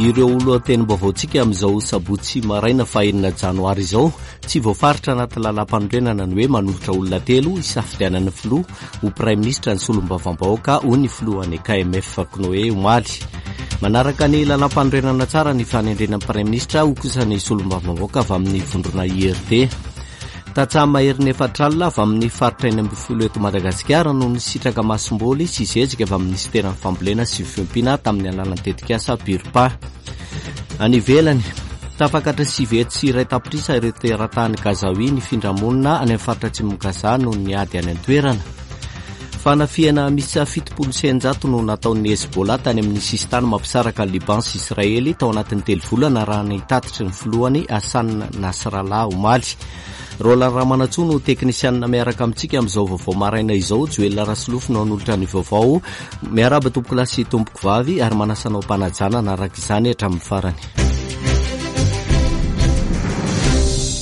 Ireo lohatenim-baovaontsika amin'izao sabotsy maraina fahenina janoary izao, tsy voafaritra anaty lalàmpanorenana ny hoe manolotra olona telo hisafidianan'ny filoha ho praiminisitra ny solombavambahoaka, hoy ny filohan'ny KMF Cnoe omaly. Manaraka ny lalàmpanorenana tsara ny fanendrena ny praiminisitra, hoy kosa ny solombavambahoaka avy amin'ny vondrona IRD. Tantsaha maherin'ny efatr'alina avy amin'ny faritra 16 eto Madagasikara no nisitraka masomboly sy zezika avy amin'ny minisiteran'ny Fambolena sy Fiompiana tamin'ny alalan'ny tetikasa PIRPA. Any ivelany, tafakatra 109 tapitrisa ireo teratany Gazawi nifindra monina any amin'ny faritra atsimon'i Gaza noho ny ady any an-toerana. Fanafihana miisa 670 no nataon'ny Hezbollah tany amin'ny sisintany mampisaraka an'i Liban sy Israely tao anatin'ny telo volana raha ny tatitry ny filohany Hassan Nasrallah omaly. Roland Ramanantsoa no teknisianina miaraka amintsika amin'izao vaovao maraina izao. Joel Rasolofo no hanolotra ny vaovao. Miarahaba tompokolahy sy tompokovavy ary manasa anao am-panajana hanaraka izany hatramin'ny farany.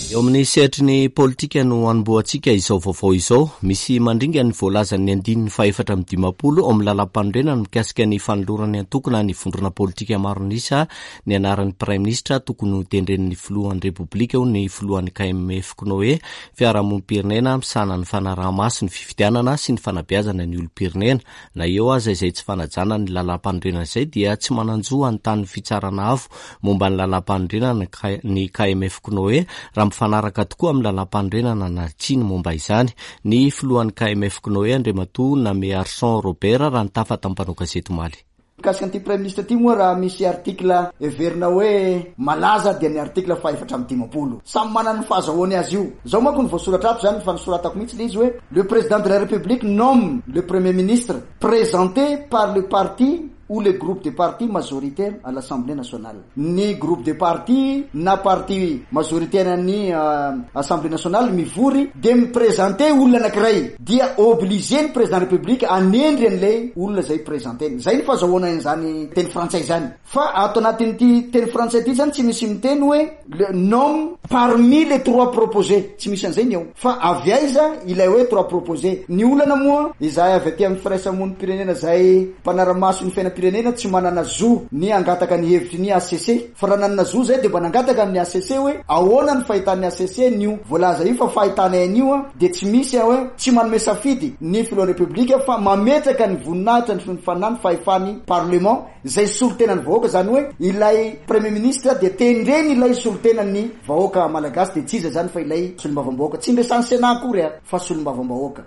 Eo amin'ny sehatry ny politika no hanombohantsika izao vaovao izao. Misy mandringa ny voalazan'ny andininy fahefatra amby 50 ao amin'ny lalàmpanorenana mikasika ny fanoloran'ny antoko na ny vondrona politika maro an'isa ny anaran'ny praiminisitra tokony ho tendren'ny filohan'ny Repoblika hoy ny filohan'ny KMF Cnoe, fiarahamonim-pirenena misahana ny fanaraha-maso ny fifidianana sy ny fanabeazana ny olom-pirenena. Na eo aza izay tsy fanajana ny lalàmpanorenana izay dia tsy manan-jo hanontany ny Fitsarana Avo momba ny lalàmpanorenana ny KMF Cnoe raha mifanaraka tokoa amin'ny lalàmpanorenana na tsia ny momba izany. Ny filohan'ny KMF Cnoe Andriamatoa Namearison Robert raha nitafa tamin'ny mpanao gazety omaly. Mikasika an'ity Praiminisitra ity moa raha misy article heverina hoe malaza dia ny article faha 54. Samy manana ny fahazahoany azy io. Izao manko no voasoratra ato izany fa nosoratako mihitsy ilay izy hoe Le Président de la République nomme le Premier ministre présenté par le parti ou le groupe de partis majoritaire à l'Assemblée nationale. Ny groupe de partis na parti majoritaire an'ny Assemblée nationale mivory dia mi-presenter olona anakiray dia obligé ny Président République hanendry an'ilay olona izay presenter-ny. Izay ny fahazahoana an'izany teny frantsay izany. Fa ato anatin'ity teny frantsay ity zany tsy misy miteny hoe le nomme parmi les trois proposés, tsy misy an'izay ny ao. Fa avy aiza ilay hoe trois proposés? Ny olana moa, izahay avy aty amin'ny firaisamonim-pirenena izay mpanara-maso ny fiainam-pirenena tsy manana zo ny hangataka ny hevitry ny HCC. Fa raha nanana zo izahay dia mba nangataka amin'ny HCC hoe ahoana ny fahitan'ny HCC an'io voalaza io fa fahitanay an'io dia tsy misy hoe tsy manome safidy ny filohan'ny Repoblika fa mametraka ny voninahitra ny fanahy ny fahefan'ny parlement Izay solontenan'ny vahoaka, izany hoe ilay Premier ministre dia tendreny ilay solontenan'ny vahoaka malagasy dia tsy iza izany fa ilay solombavambahoaka. Tsy niresahan'ny Sénat akory fa solombavambahoaka.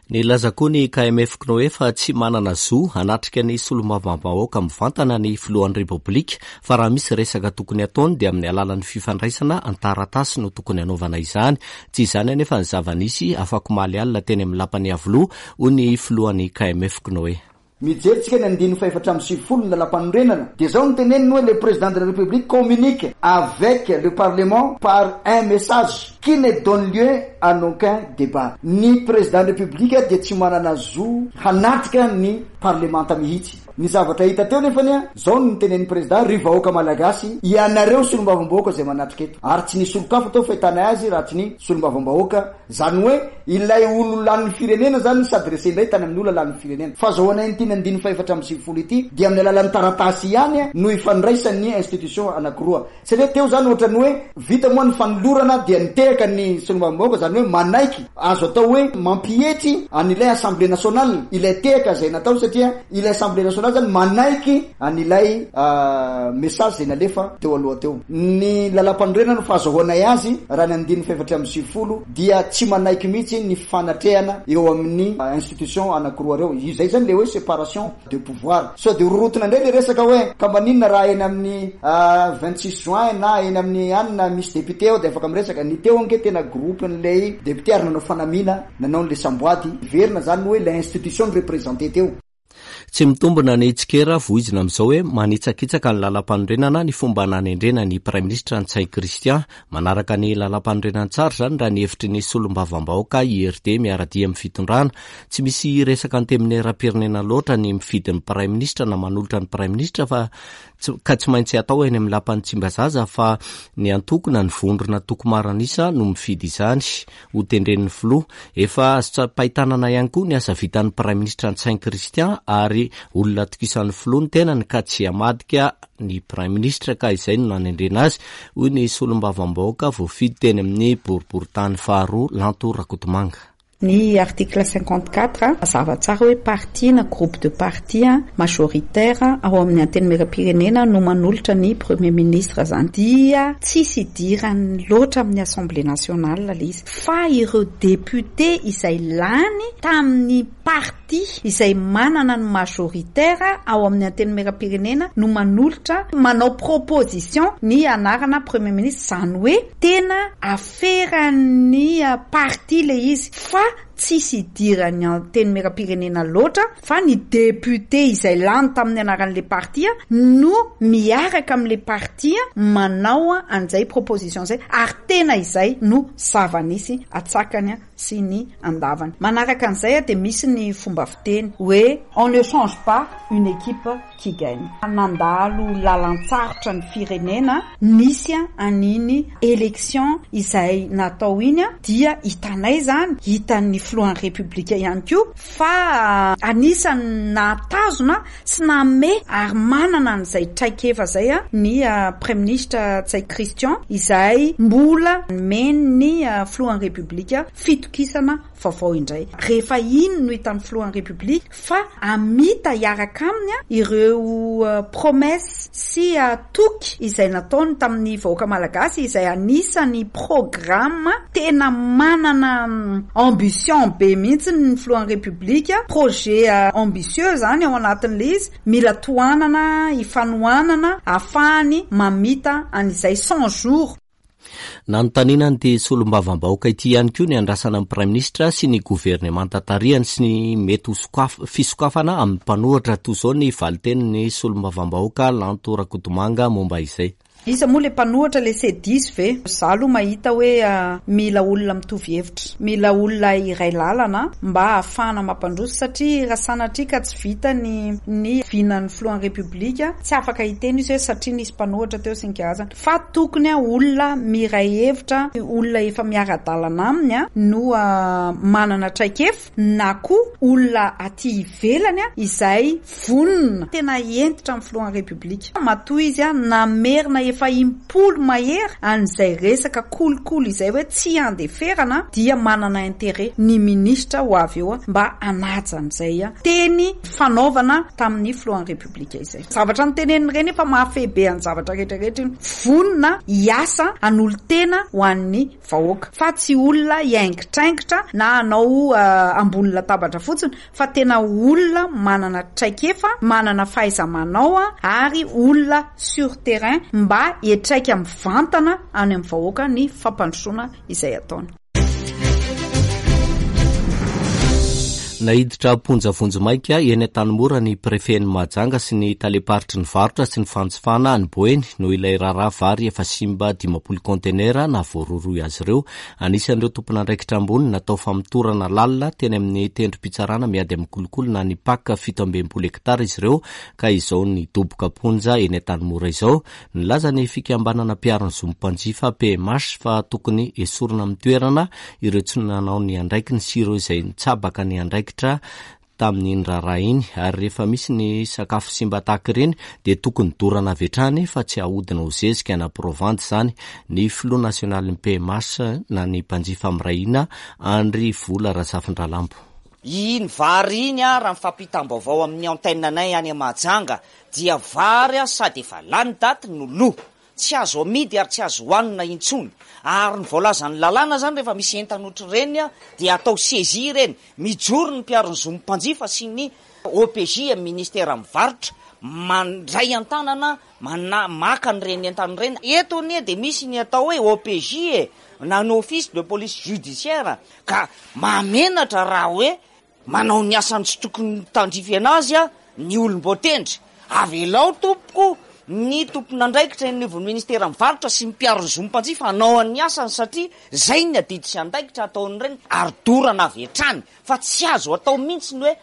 Nilaza koa ny KMF Cnoe fa tsy manana zo hanatrika ny solombavambahoaka mivantana ny filohan'ny Repoblika fa raha misy resaka tokony hataony dia amin'ny alalan'ny fifandraisana an-taratasy no tokony hanaovana izany. Tsy izany anefa ny zava-nisy afakomaly alina teny amin'ny lapan'i Iavoloha, hoy ny filohan'ny KMF Cnoe. Mijery tsika ny andininy faha-94 ny lalàmpanorenana dia zao no teneniny hoe le président de la république communique avec le parlement par un message qui ne donne lieu à aucun débat. Ny président ny république dia tsy manana zo hanatrika ny parlemanta mihitsy. Ny zavatra hita teo nefany a, zao no notenenin'ny président, ry vahoaka malagasy, ianareo solombavambahoaka izay manatrika eto, ary tsy nisy olon-kafa teo fahitanay azy raha tsy ny solombavambahoaka, Zany hoe ilay olo lanin'ny firenena zany ni s'adresser indray tany amin'ny olona lanin'ny firenena. Fahazahoana an'ity ny andininy faha-94 ity dia amin'ny alalan'ny taratasy ihany no ifandraisan'ny institution anakiroa. Satria teo zany ohatran'ny hoe vita moa ny fanolorana dia nitehaka ny solombavambahoaka zany hoe manaiky, azo atao hoe mampietry an'ilay assemblée nationale ilay tehaka izay natao satria ilay assemblée nationale zany manaiky an'ilay message izay nalefa teo aloha teo. Ny lalàmpanorenana no fahazahoanay azy raha ny andininy faha-94 dia tsy manaiky mihitsy ny fifanatrehana eo amin'ny institution anakiroa ireo. Izay izany ilay hoe séparation de pouvoir. Sao dia rorotina indray ilay resaka hoe ka maninona raha eny amin'ny 26 juin na eny amin'ny anona misy député ao dia afaka miresaka. Ny teo ange tena groupe-n'ilay député ary nanao fanamiana nanao an'ilay samboady. Heverina izany hoe ilay institution no représenter teo. Tsy mitombina ny tsikera voizina amin'izao hoe manitsakitsaka ny lalampanorenana ny fomba nanendrena ny Praiminisitra Ntsay Christian. Manaraka ny lalampanorenana tsara izany raha ny hevitry ny solombavambahoaka IRD miara-dia amin'ny fitondrana. Tsy misy resaka antenimierampirenena loatra ny mifidy ny Praiminisitra na manolotra ny Praiminisitra fa ka tsy maintsy atao eny amin'ny lapan'i Tsimbazaza fa ny antoko na ny vondrona toko maro an'isa no mifidy izany. Ho tendren'ny filoha. Efa azo tsapain-tanana ihany koa ny asa vitan'ny Praiminisitra Ntsay Christian. ary olona atokisan'ny filoha ny tenany ka tsy hamadika ny praiminisitra ka izay no nanendrena azy, hoy ny solombavambahoaka voafidy teny amin'ny boriborintany faharoa Lanto Rakotomanga. Ny article 54, mazava tsara hoe parti na groupe de parti majoritaire ao amin'ny Antenimierampirenena no manolotra ny Premier ministre izany. Dia tsisy idirany loatra amin'ny Assemblée nationale ilay izy. Fa ireo députés izay lany tamin'ny parti izay manana ny majoritaire ao amin'ny Antenimierampirenena no manolotra, manao proposition ny anarana Premier ministre. Izany hoe tena Aferan'ny parti le izy fa tsisy idiran'ny antenimierampirenena loatra fa ny député izay lany tamin'ny anaran'le parti no miaraka amin'le parti manao an'izay proposition zay ary tena izay no zava-nisy atsakany sy ny andavany. Manaraka an'izay dia misy ny fomba fiteny hoe on ne change pas une équipe qui gagne. Nandalo lalan-tsarotra ny firenena, nisy an'iny élection izay natao iny dia hitanay izany, hitan'ny filohan'ny Repoblika ihany koa fa anisan'ny nahatazona sy nanome ary manana an'izay traikefa izay ny Praiminisitra Ntsay Christian izay mbola nomen'ny filohan'ny Repoblika fitokisana vaovao indray. Rehefa iny no hitan'ny filohan'ny Repoblika fa hamita hiaraka aminy ireo promesse sy toky izay nataony tamin'ny vahoaka malagasy izay anisan'ny programme tena manana ambition be mihitsy ny filohan'ny Repoblika, projet ambitieux izany ao anatin'ilay izy, mila tohanana, ifanohanana ahafahany mamita an'izay 100 jours. Nanontaniana an'ity solombavambahoaka ity ihany koa ny andrasana ny Praiminisitra sy ny governemanta tarihany sy ny mety ho fisokafana amin'ny mpanohitra. Toy izao ny valin-tenin'ny solombavambahoaka Lanto Rakotomanga momba izay. Iza moa le mpanohitra le se diso ve? Za aloha mahita hoe mila olona mitovy hevitra, mila olona iray lalana mba ahafahana mampandroso satria raha sanatria ka tsy vita ny ny vinan'ny filohan'ny repoblika tsy afaka hiteny izy hoe satria nisy mpanohitra teo sy ny karazany. Fa tokony olona miray hevitra, olona efa miara-dalana aminy no manana traikefa na koa olona aty ivelany izay vonona tena hentitra amin'ny filohan'ny Repoblika. Matoa izy namerina efa im-polo mahery an'izay resaka kolikoly izay hoe tsy handeferana dia manana intérêt ny minisitra ho avy eo mba hanaja an'izay teny fanaovana tamin'ny filohan'ny Repoblika izay. Zavatra noteneniny ireny efa mahafehy be an'ny zavatra rehetra rehetra iny. Vonona hiasa hanolo-tena ho an'ny vahoaka. Fa tsy olona hiaingitraingitra na hanao ambony latabatra fotsiny fa tena olona manana traikefa, manana fahaiza-manao ary olona sur terrain mba hiatraika mivantana any amin'ny vahoaka ny fampandrosoana izay ataony. Naiditra am-ponja vonjimaika eny Antanimora ny prefen'i Mahajanga sy ny talem-paritry ny varotra sy ny fanjifana any Boeny noho ilay raharaha vary efa simba 50 kaontenera nahavoarohirohy azy ireo. Anisan'ireo tompon'andraikitra ambony natao famotorana lalina teny amin'ny tendrom-pitsarana miady amin'ny kolikoly na ny Pac 67 hektara izy ireo ka izao nidoboka am-ponja eny Antanimora izao. Nilaza ny fikambanana mpiaro ny zon'ny mpanjifa, PMH, fa tokony hesorina amin'ny toerana ireo tsy nanao ny andraikiny sy ireo izay nitsabaka ny andraikitra tamin'iny raharaha iny ary rehefa misy ny sakafo simba tahaka ireny dia tokony dorana avy hatrany fa tsy ahodina ho zezika na provandy izany. Ny filoha nasionalin'ny PMH na ny mpanjifa miray hina, Andry Vola Razafindralambo. Iny vary iny raha ny fampitam-baovao amin'ny antenne anay any Mahajanga dia vary sady efa lany daty no lo, tsy azo amidy ary tsy azo hohanina intsony. Ary ny voalazan'ny lalàna izany rehefa misy entana ohatr'ireny dia atao saisie ireny. Mijoro ny mpiaro ny zon'ny mpanjifa sy ny OPJ amin'ny ministeran'ny varotra mandray an-tanana mana maka an'ireny entana ireny. Eto anie dia misy ny atao hoe OPJ e, na ny office de police judiciaire ka mahamenatra raha hoe Manao ny asany tsy tokony tandrify anazy ny olom-boatendry. Avelao tompoko ny tompon'andraikitra eny anivon'ny ministeran'ny varotra sy ny mpiaro ny zon'ny mpanjifa hanao ny asany satria zay ny adidy sy andraikitra ataon'ireny ary dorana avy hatrany fa tsy azo atao mihitsy ny hoe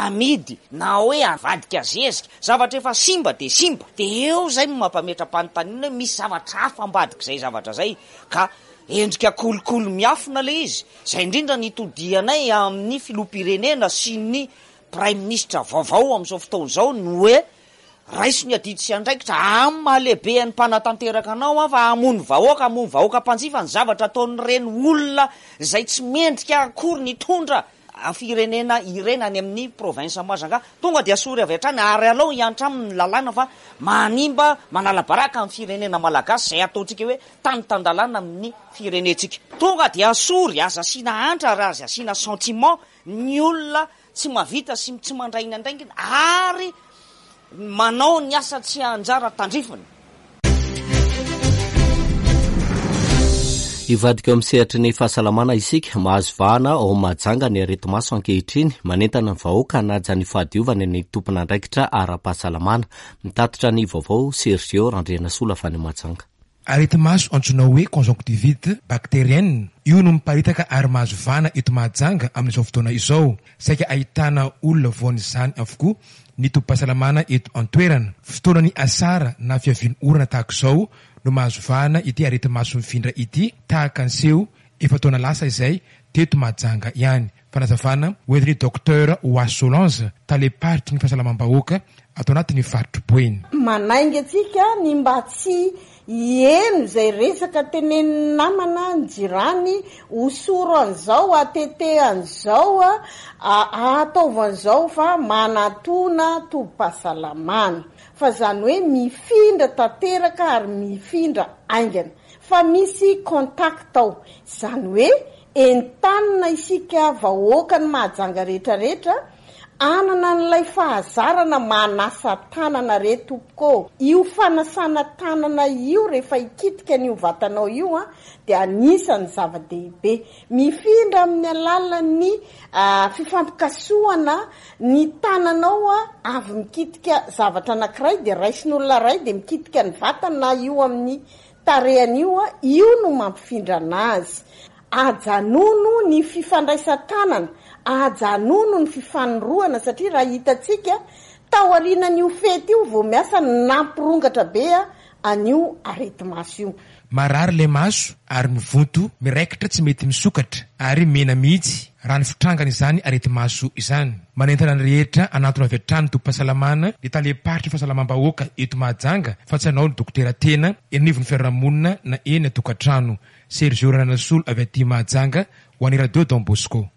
amidy na hoe avadika zezika. Zavatra efa simba dia simba. Dia eo zay no mampametra-panontaniana hoe misy zavatra hafa ambadik'izay zavatra zay ka Endrika kolikoly miafina ilay izy. Izay indrindra no itodihanay amin'ny filoham-pirenena sy ny. Praiminisitra vaovao amin'izao fotoana izao ny hoe raiso ny adidy sy andraikitra amin'ny maha lehiben'ny mpanatanteraka anao aho fa hamono vahoaka, hamono vahoaka mpanjifa ny zavatra ataon'ireny olona izay tsy mendrika akory ny hitondra firenena ireny any amin'ny province Mahajanga. Tonga dia asory avy hatrany ary alao hiantra aminy ny lalàna fa manimba, manala baraka ny firenena malagasy izay ataontsika hoe tany tan-dalàna amin'ny firenentsika. Tonga dia asory, aza asiana antra ary aza asiana sentiment ny olona tsy mahavita sy tsy mandray ny andraikiny ary manao ny asa tsy anjara tandrifiny. Hivadika eo amin'ny sehatry ny fahasalamana isika. Mahazo vahana ao Mahajanga ny areti-maso ankehitriny. Manentana ny vahoaka hanaja ny fahadiovany ny tompon'andraikitra ara-pahasalamana. Mitatitra ny vaovao Sergio Randrianasolo avy any Mahajanga. Areti-maso antsoina hoe conjonctivite bactérienne io no miparitaka ary mahazo vahana eto Mahajanga amin'izao fotoana izao. Saika ahitana olona voan'izany avokoa ny tobim-pahasalamana eto an-toerana. Fotoanan'ny asara na fiavian'ny orana tahaka izao no mahazo vahana ity areti-maso mifindra ity tahaka ny seho efa-taona lasa izay teto Mahajanga ihany. Fanazavana hoentin'ny Docteur Oa Solange, talem-paritry ny fahasalamam-bahoaka ato anatin'ny faritr'i Boeny. Manainga antsika ny mba tsy hiheno izay resaka tenenin'ny namana, ny jirany, hosoro an'izao, atete an'izao, ataovy an'izao fa manatona tobim-pahasalamana. Fa izany hoe mifindra tanteraka ary mifindra haingana. Fa misy contact ao. Izany hoe Entanina isika vahoakan'i Mahajanga rehetra rehetra hanana an'ilay fahazarana manasa tanana re tompoko ô! Io fanasana tanana io rehefa hikitika an'io vatanao io an dia anisan'ny zava-dehibe. Mifindra amin'ny alalan'ny fifampikasohana ny tananao avy mikitika zavatra anankiray dia raisin'olona iray dia mikitika ny vatany na io amin'ny Tarehiny io a, io no mampifindra anazy. Ajanono ny fifandraisan-tanana, ajanono ny fifanorohana satria raha hitantsika, taorianan'io fety io vao miasa nampirongatra be an'io areti-maso io. Marary ilay maso ary mivonto, miraikitra tsy mety misokatra ary mena mihitsy raha ny fitrangany izany areti-maso izany. Manentana ny rehetra hanantona avy hatrany tobim-pahasalamana ny talem-paritry ny fahasalamam-bahoaka eto Mahajanga fa tsy hanao ny dokotera tena eny anivon'ny fiarahamonina na eny an-tokantrano. Sergio Rananasolo avy aty Mahajanga ho an'ny Radio Don Bosco.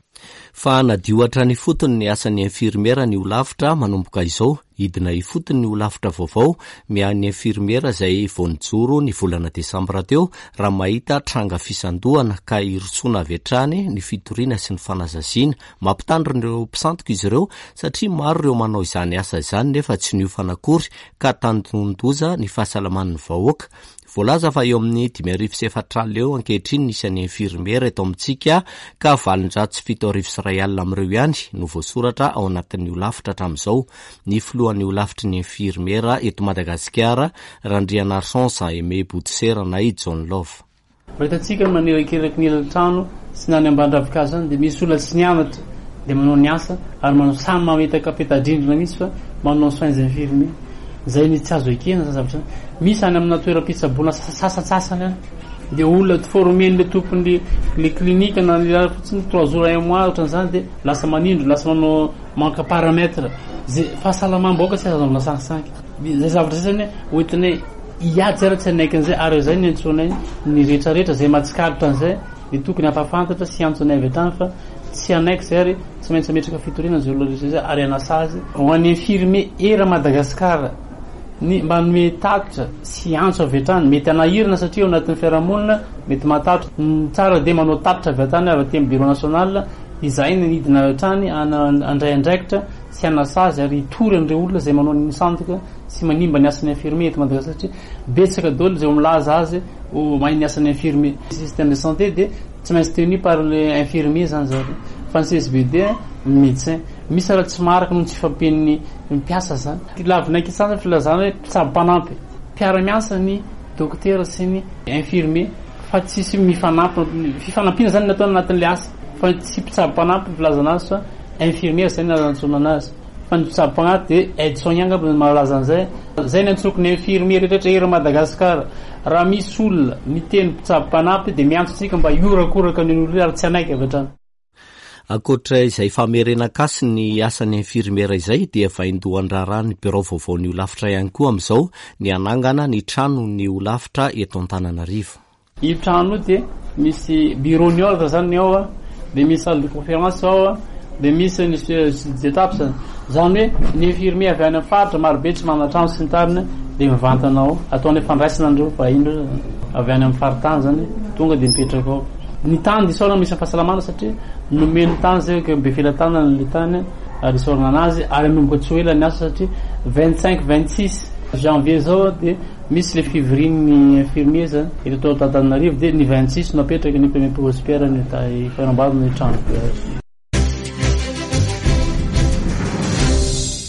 Fa hanadio hatrany ifotony ny asan'ny infirmiera ny holafitra manomboka izao. Hidina ifotony ny holafitra vaovao miahy ny infirmiera izay vao nijoro ny volana desambra teo raha mahita tranga fisandohana ka hirosoana avy hatrany ny fitoriana sy ny fanazaziana. Mampitandrina ireo mpisandoka izy ireo satria maro ireo manao izany asa izany nefa tsy niofana akory ka tandindonin-doza ny fahasalaman'ny vahoaka. Voalaza fa eo amin'ny 4500 eo ankehitriny ny isan'ny infirmiera eto amintsika ka 7108 amin'ireo ihany no voasoratra ao anatin'ny holafitra hatramin'izao. Ny filohan'ny holafitry ny infirmiera eto Madagasikara, Randrianarison Jean Aimé Bodosera na i John Love. Raha hitantsika ny manerakeraky ny elan-trano sy ny any ambany ravinkazo any dia misy olona tsy nianatra dia manao ny asa ary manao samy mametaka peta-drindrina mihitsy fa manao soins infirmiers. Izay ny tsy azo ekena izany zavatra izany. Misy any amina toeram-pitsaboana sasantsasany any dia olona former-n'ilay tompon'ny le clinique na ny raha fotsiny trois jours un mois ohatran'izany dia lasa manindry, lasa manao manque paramètre. Zay fahasalamam-bahoaka tsy azo anaovana sangisangy. Izay zavatra izay zany hoentinay hiady zay raha tsy hanaiky an'izay ary izay ny antsoinay ny rehetrarehetra izay mahatsikaritra an'izay dia tokony hampahafantatra sy hiantso anay avy hatrany fa tsy hanaiky izay ary Tsy maintsy hametraka fitoriana izay olona rehetra izay ary hanasazy ho an'ny infirmier eran'i Madagasikara ny mba hanome tatitra sy hiantso avy hatrany. Mety hanahirana satria ao anatin'ny fiarahamonina mety mahatahotra. Ny tsara dia manao tatitra avy hatrany avy aty amin'ny bureau national izahay no hidina avy hatrany handray andraikitra sy hanasazy ary hitory an'ireo olona izay manao ny sandoka sy manimba ny asan'ny infirmier eto Madagasikara satria betsaka daholo izay milaza azy ho mahay ny asan'ny infirmier. Système de santé dia Tsy maintsy tenu par le infirmier zany zareo fa ny CSBD ny médecin. Misy raha tsy maharaka noho ny tsy fahampian'ny mpiasa zany. Lavina ankitsany zany filazana hoe mpitsabo mpanampy. Mpiara-miasa ny dokotera sy ny infirmier fa tsisy mifanampy. Fifanampiana zany ny atao anatin'le asa fa tsy mpitsabo mpanampy ny filazana azy fa infirmier zay ny antsona anazy. Fa ny mpitsabo mpanampy dia aide soignant angamba no mahalaza an'izay. Zay ny antsoko ny infirmier rehetra eran'i Madagascar. Raha misy olona miteny mpitsabo mpanampy dia miantso antsika mba hiorakoraka an'iny olona iny ary tsy hanaiky avy hatrany. Ankoatra izay famerenan-kasy ny asan'ny infirmiera izay dia vaindohan-draharahan'ny birao vaovaon'ny holafitra ihany koa amin'izao ny hanangana ny tranon'ny holafitra eto Antananarivo. Io trano io dia misy bureau ny ordre zany ny ao a, dia misy salle de conférence ao a, dia misy ny d'étape zany. Zany hoe ny infirmier avy any amin'ny faritra marobe tsy manana trano sy ny tariny dia mivantana ao. Ataonay fandraisana an'ireo vahiny ireo zany avy any amin'ny faritany zany tonga dia mipetraka ao. Ny tany dia isaorana misy ny fahasalamana satria nomeny tany zay ka Befelatanana le tany ary isaorana anazy ary hanomboka tsy ho ela ny asa satria 25 26 janvier zao dia misy le fivorian'ny infirmier zany eto Antananarivo dia ny 26 no apetraka ny premier prospère ny fanamboarana ny trano be.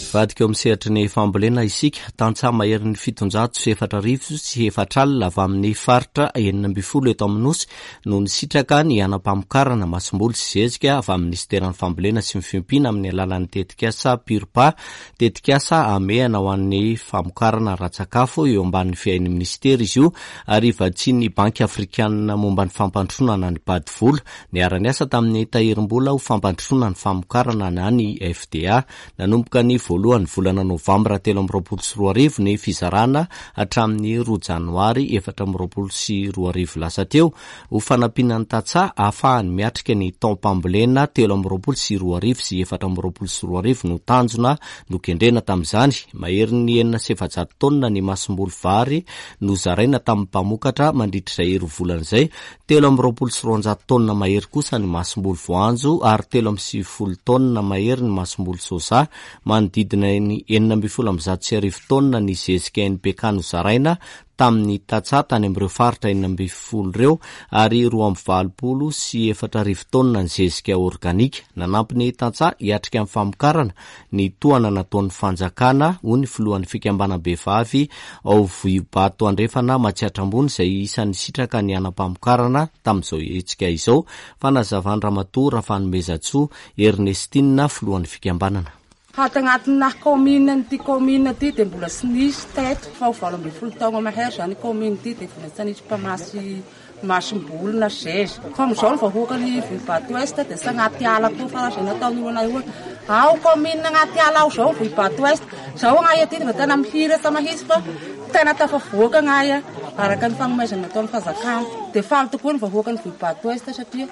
Hivadika eo amin'ny sehatry ny fambolena isika. Tantsaha maherin'ny 4007 avy amin'ny faritra 16 eto amin'ny Nosy no nisitraka ny hanam-pamokarana masomboly sy zezika avy amin'ny Minisiteran'ny Fambolena sy ny Fiompiana amin'ny alalan'ny tetikasa PURPA, tetikasa hamehana ho an'ny famokarana ara-tsakafo eo ambanin'ny fiahian'ny Minisitera izy io ary vatsian'ny Banky Afrikanina momba ny Fampandrosoana na ny BAD vola. Niara-niasa tamin'ny Tahirimbola ho fampandrosoana ny famokarana na ny FDA. Nanomboka ny voalohan'ny volana novambra 2023 ny fizarana hatramin'ny roa janoary 2024 lasa teo, ho fanampiana ny tantsaha ahafahany miatrika ny taom-pambolena 2023 sy 2024 no tanjona nokendrena tamin'izany. Maherin'ny 406 taonina ny masomboly vary nozaraina tamin'ny mpamokatra mandritra izay roa volana izay, 223 taonina mahery kosa ny masomboly voanjo ary 93 taonina mahery ny masomboly soja. Manodidina ny 1116 taonina ny zezika NPK nozaraina tamin'ny tantsaha tany amin'ireo faritra 16 ireo ary 4082 taonina ny zezika organika. Nanampy ny tantsaha hiatrika ny famokarana ny tohana nataon'ny fanjakana, hoy ny filohan'ny fikambanam-behivavy ao Vohibato Andrefana Matsiatra Ambony izay isan'ny nisitraka ny hanam-pamokarana tamin'izao hetsika izao, fanazavan-dRamatoa Rafanomezantsoa Ernestine, filohan'ny fikambanana. Ato agnatinà kaominina ity kaominina ity dia mbola tsy nisy teto fa ho 18 taogna mahery izany kaominina ity dia mbola tsy nisy mpamasy Masomboly na zeza. Fa amizao ny vahoaka ny Vohibato Ouest dia tsy agnaty ala koa fa raha zay nataon'olo anay io ao commune agnaty ala ao zao Vohibato Ouest. Zao agnay aty dia tena mihiratra mahitsy fa tena tafavoaka agnay araka ny fagnomezana nataon'ny fanjakana. Dia faly tokoa ny vahoaka ny Vohibato Ouest satria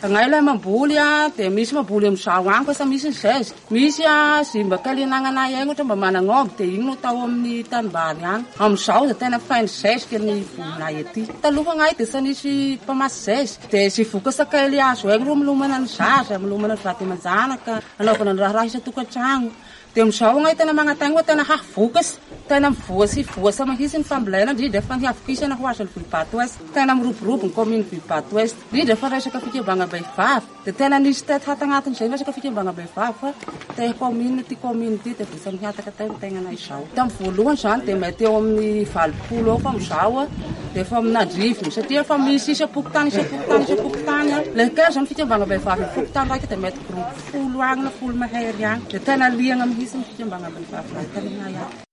agnay ilay mamboly dia misy mamboly amizao agny fa sa misy ny zezika. Misy ze mba kely anagnanay agny ohatra mba managn'omby dia igny no atao amin'ny tanimbary agny. Amin'izao dia tena feno zezika ny volinay aty. Taloha agnay dia tsy nisy mpamasy zezika dia ze vokatra kely azo agny ro milomana ny zaza, milomana ny vady aman-janaka, anaovana ny raharaha isan-tokantragno. Dia amin'izao agnay tena magnantagna fa tena hahavokatra, tena mivoa sy voasa mahitsy ny fambolena indrindra fa ny havokisana ho azon'ny Vohibato Ouest. Tena miroborobo ny kaomin'ny Vohibato Ouest, indrindra fa resaka fikambanam-behivavy. Dia tena nisy teto hato agnatin'izay resaka fikambanam-behivavy fa te kaominina ity kaominina ity dia votsa mihataka teo ny tegnanay izao. Tamin'ny voalohany izany dia mety eo amin'ny 80 eo fa amin'izao dia efa amin'andrivony satria efa misy isam-pokontany isam-pokontany isam-pokontany. Ilay kely izany fikambanam-behivavy amin'ny fokontany raika dia mety groupe folo agny na folo mahery agny. Dia tena liagna mihitsy ny fikambanam-behivavy raha taminay ato.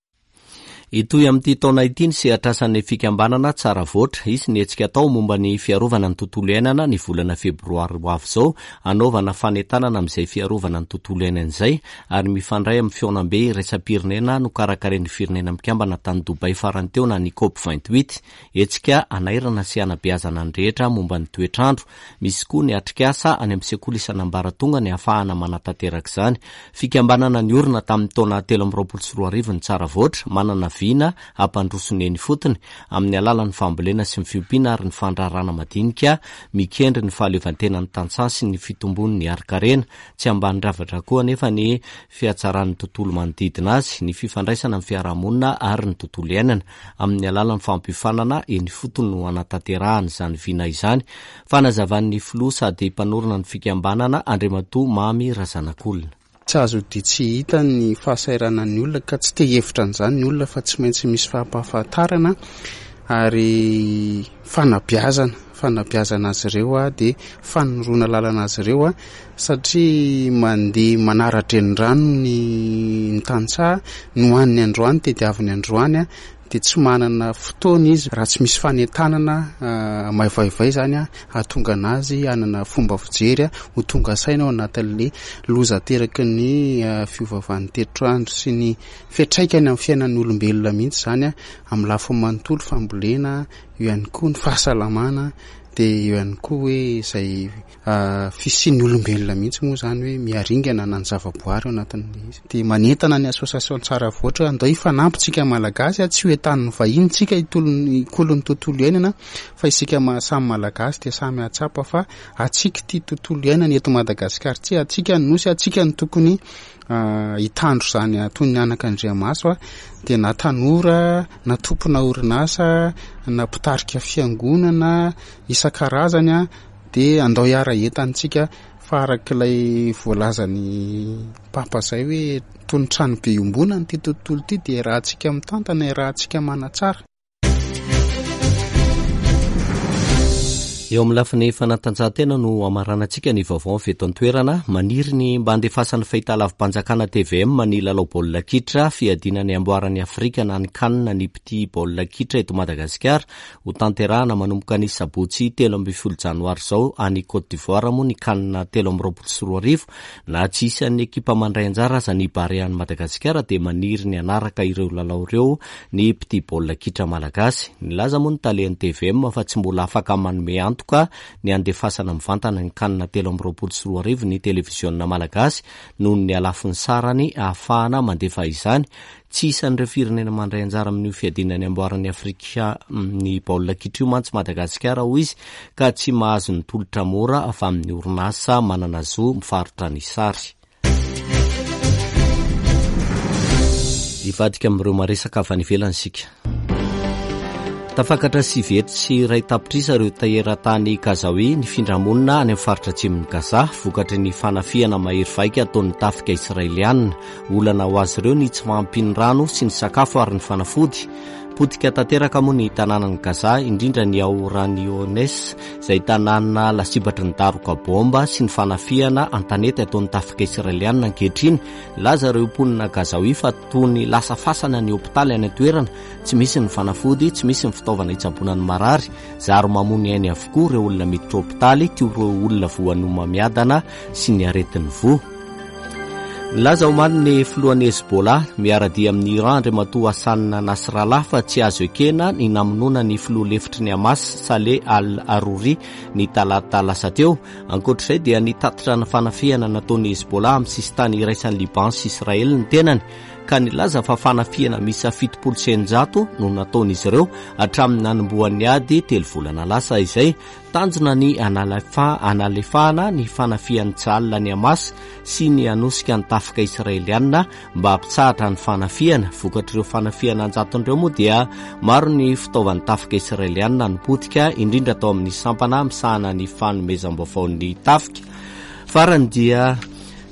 Hitohy amin'ity taona ity ny sehatr'asan'ny fikambanana Tsara Voatra. Hisy ny hetsika atao momba ny fiarovana ny tontolo iainana ny volana febroary ho avy izao, hanaovana fanentanana amin'izay fiarovana ny tontolo iainana izay ary mifandray amin'ny fihaonambe iraisam-pirenena nokarakarain'ny Firenena Mikambana tany Dubaï farany teo na ny Cop 28. Hetsika hanairana sy hanabeazana ny rehetra momba ny toetr'andro. Misy koa ny atrikasa any amin'ny sekoly isan'ambaratongany ahafahana manatanteraka izany. Fikambanana niorina tamin'ny taona 2023 ny Tsara Voatra, manana vina hampandroso ny eny ifotony amin'ny alalan'ny fambolena sy ny fiompiana ary ny fandraharahana madinika mikendry ny fahaleovantenan'ny tantsaha sy ny fitombon'ny harin-karena. Tsy ambanin-javatra koa anefa ny fihatsaran'ny tontolo manodidina azy, ny fifandraisana amin'ny fiarahamonina ary ny tontolo iainana. Amin'ny alalan'ny fampiofanana eny ifotony no hanatanterahana izany vina izany, fanazavan'ny filoha sady mpanorina ny fikambanana, Andriamatoa Mamy Razanakolona. Tsy azo odian tsy hita ny fahasahiranan'ny olona ka tsy te hihevitra an'izany ny olona fa tsy maintsy misy fampahafantarana ary fanabeazana. fanabeazana azy ireo dia fanoroana lalana azy ireo satria mandeha manara-drenirano ny ny tantsaha, ny hohaniny androany tediaviny androany dia tsy manana fotoana izy raha tsy misy fanentanana maivaivay izany hahatonga an'azy hanana fomba fijery ho tonga saina ao anatin'ilay loza ateraky ny fiovaovan'ny toetr'andro sy ny fiantraikany amin'ny fiainan'ny olombelona mihitsy izany amin'ny lafiny manontolo, fambolena, eo ihany koa ny fahasalamana dia eo ihany koa hoe izay fisian'ny olombelona mihitsy moa izany hoe miharingana na ny zavaboary ao anatin'ilay izy. Dia manentana ny association Tsaravoatra hoe andao hifanampy tsika Malagasy, tsy ho entanin'ny vahiny tsika hikolo ny tontolo iainana fa isika samy Malagasy dia samy hahatsapa fa antsika ity tontolo iainana eto Madagasikara ity, antsika ny nosy, antsika no tokony hitandro izany toy ny anakandriamaso dia na tanora na tompona orinasa na mpitarika fiangonana isan-karazany dia andao hiara-hientantsika fa araka ilay voalazan'i Papa izay hoe toy ny tranobe iombonana ity tontolo ity dia iarahantsika mitantana, iarahantsika manatsara. Eo amin'ny lafiny fanatanjahantena no hamaranantsika ny vaovao avy eto an-toerana. Maniry ny mba handefasan'ny fahitalavi-panjakana tvm ny lalao baolina kitra fiadiana ny amboaran'i Afrika na ny Can ny mpitia baolina kitra eto Madagasikara. Hotanterahana manomboka ny sabotsy 13 janoary izao any Côte d'Ivoire moa ny Can 2023. Na tsy isan'ny ekipa mandray anjara aza ny Barea an'i Madagasikara dia maniry ny hanaraka ireo lalao ireo ny mpitia baolina kitra malagasy. Nilaza moa ny talen'ny tvm fa tsy mbola afaka manome antoka ny handefasana mivantana ny Can 2023 ny televiziona malagasy noho ny halafon'ny sarany ahafahana mandefa izany. Tsy isan'ireo firenena mandray anjara amin'io fiadiana ny amboaran'i Afrika ny baolina kitra io mantsy Madagasikara, hoy izy, ka tsy mahazo ny tolotra mora avy amin'ny orinasa manana zo mivarotra ny sary. Hivadika amin'ireo maresaka avy any ivelany isika. Tafakatra 109 tapitrisa ireo teratany Gazawi nifindra monina any amin'ny faritra atsimon'i Gaza, vokatry ny fanafihana mahery vaika ataon'ny tafika Israeliana. Olana ho azy ireo ny tsy fahampian'ny rano sy ny sakafo ary ny fanafody. Potika tanteraka moa ny tanànan'i Gaza, indrindra ny ao Khan Younes, izay tanàna lasibatry ny daroka baomba sy ny fanafihana an-tanety ataon'ny tafika Israeliana ankehitriny. Nilaza ireo mponina Gazawi fa toy ny lasa fasana ny hopitaly any an-toerana, tsy misy ny fanafody, tsy misy ny fitaovana hitsaboana ny marary, zary mamoa ny ainy avokoa ireo olona miditra hopitaly toy ireo olona voan'ny homamiadana sy ny aretin'ny voa. Nilaza omaly ny filohan'ny Hezbollah, miara-dia amin'i Iran Andriamatoa Hassan Nasrallah fa tsy azo ekena ny namonoana ny filoha lefitry ny Hamas, Saleh al-Arouri, ny talata lasa teo. Ankoatra izay dia nitatitra ny fanafihana nataon'ny Hezbollah amin'ny sisintany iraisan'i Liban sy Israely ny tenany, ka nilaza fa fanafihana miisa 670 no nataon'izy ireo hatramin'ny nanombohan'ny ady telo volana lasa izay. Tanjona ny hanalefahana ny fanafihan'ny Tsahal ny Hamas sy ny hanosika ny tafika Israeliana mba hampitsahatra ny fanafihana. Vokatr'ireo fanafihana an-jatony ireo moa dia maro ny fitaovan'ny tafika Israeliana no potika, indrindra tao amin'ny sampana misahana ny fanomezam-baovaon'ny tafika. Farany dia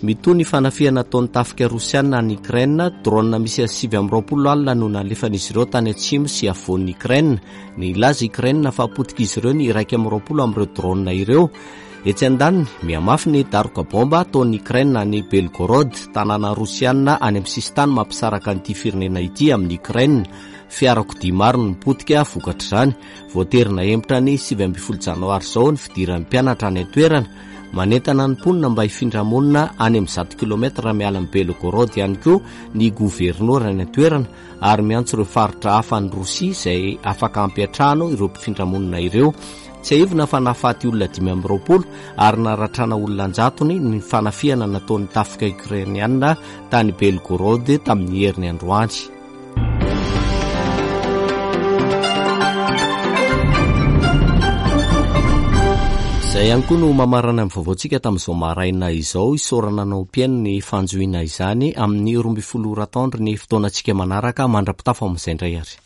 mitohy ny fanafihana ataon'ny tafika Rosiana any Ukraine. Drone miisa 29 alina no nalefan'izy ireo tany atsimo sy afovoan'i Ukraine. Nilaza i Ukraine fa potik'izy ireo ny 21 amin'ireo drone ireo. Etsy andaniny, mihamafy ny daroka baomba ataon'i Ukraine any Belgorod, tanàna rosiana any amin'ny sisintany mampisaraka an'ity firenena ity amin'i Ukraine. Fiarakodia maro no potika vokatr'izany. Voatery nahemotra ny 19 janoary izao ny fidiran'ny mpianatra any an-toerana. Manentana ny mponina mba hifindra monina any amin'ny 100 kilometatra miala amin'i Belgorod ihany koa ny governora any an-toerana. ary miantso ireo faritra hafa any Rosia izay afaka hampiantrano ireo mpifindra monina ireo. Tsiahivina fa nahafaty olona 25 ary naratrana olona an-jatony ny fanafihana nataon'ny tafika Ukrainiana tany Belgorod tamin'ny heriny androany. Izay ihany koa no mamarana ny vaovaontsika tamin'izao maraina izao. Isaorana anao mpihaino ny fanjohiana izany amin'ny 12 ora atoandro ny fotoanantsika manaraka. Mandra-pitafa amin'izay indray ary.